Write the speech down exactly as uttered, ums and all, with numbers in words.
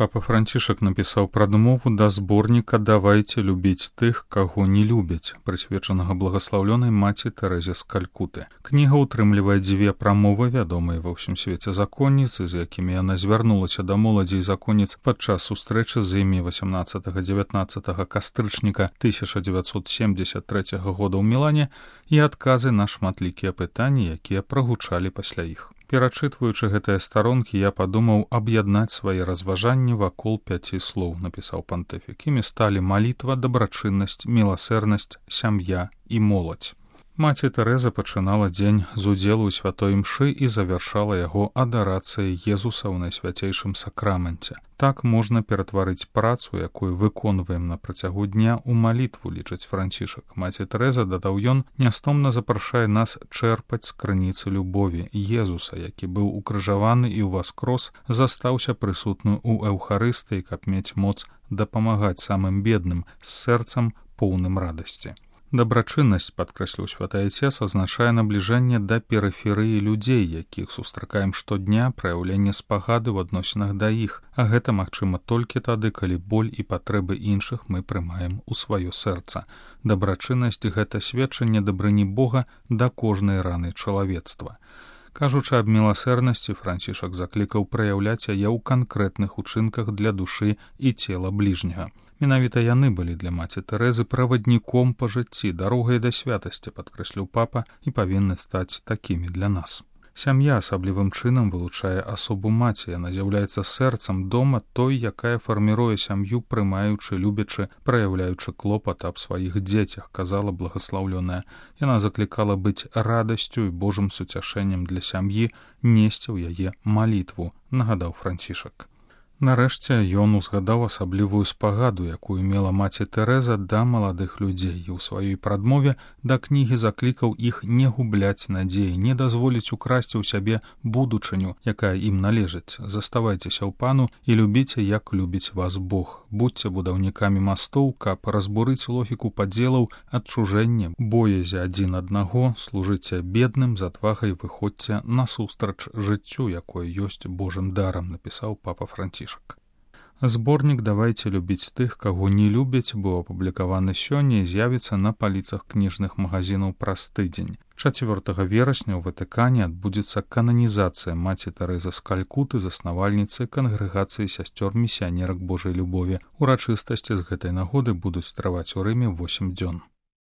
Папа Францішак напісаў прадмову да зборніка «Давайте любіць тых, каго не любяць», прысвечанага благаслаўлёнай маці Тэрэзе з Калькуты. Кніга ўтрымлівае дзве прамовы, вядомыя ва ўсім свеце законніцы, з якімі яна звярнулася да моладзі і законніц падчас сустрэчы з імі васямнаццатага-дзевятнаццатага кастрычніка тысяча дзевяцьсот семдзесят трэцяга года ў Мілане і адказы на шматлікія пытанні, якія прагучалі пасля іх. Перачытваючы гэтыя старонкі, я падумаў аб'яднаць свае разважанні вакол пяці слоў, напісаў пантыфік. Імі сталі малітва, дабрачыннасць, міласэрнасць, сям'я і моладзь. Маці Тэрэза пачынала дзень з удзелу ў святой імшы і завяршала яго адарацыяй Езуса ў найсвяцейшым сакраменце. Так можна ператварыць працу, якую выконваем на працягу дня, у малітву, лічыць Францішак. Маці Тэрэза, дадаў ён, нястомна запрашае нас чэрпаць з крыніцы любові. Езуса, які быў укрыжаваны і ўваскрос, застаўся прысутны ў эўхарыстыі, каб мець моц дапамагаць самым бедным, з сэрцам поўным радасці. Дабрачыннасць, падкрэсліў святы Айцец, азначае набліжэнне да перыферыі людзей, якіх сустракаем штодня, праяўленне спагады ў адносінах да іх, а гэта магчыма толькі тады, калі боль і патрэбы іншых мы прымаем у сваё сэрца. Дабрачыннасць — гэта сведчанне дабрыні Бога да кожнай раны чалавецтва. Кажучы аб міласэрнасці, Францішак заклікаў праяўляць яе ў канкрэтных учынках для душы і цела бліжняга. Менавіта яны былі для маці Тэрэзы правадніком па жыцці, дарогай да святасці, падкрэсліў папа, і павінны стаць такімі для нас. Сям'я асаблівым чынам вылучае асобу маці, яна з'яўляецца сэрцам дома той, якая фарміруе сям'ю, прымаючы, любячы, праяўляючы клопат аб сваіх дзецях, казала благаслаўлёная. Яна заклікала быць радасцю і Божым суцяшэннем для сям'і, несці ў яе малітву, нагадаў Францішак. Нарэшце ён узгадаў асаблівую спагаду, якую мела маці Тэрэза да маладых людзей, і ў сваёй прадмове да кнігі заклікаў іх не губляць надзеі, не дазволіць украсці ў сябе будучыню, якая ім належыць. Заставайцеся ў пану і любіце, як любіць вас Бог. Будьце будаўнікамі мастоў, каб разбурыць логіку падзелаў, адчужэння, боязі адзін аднаго, служыце бедным, з адвагай выходзьце насустрач жыццю, якое ёсць Божым дарам, напісаў папа Францішак. Зборнік «Давайте любіць тых, каго не любяць» быў апублікаваны сёння і з'явіцца на паліцах кніжных магазінаў праз тыдзень. чацвёртага верасня ў Ватыкане адбудзецца кананізацыя маці Тэрэзы з Калькуты, заснавальніцы кангрэгацыі сясцёр місіянерак Божай любові. Урачыстасці з гэтай нагоды будуць трываць у Рыме восем дзён.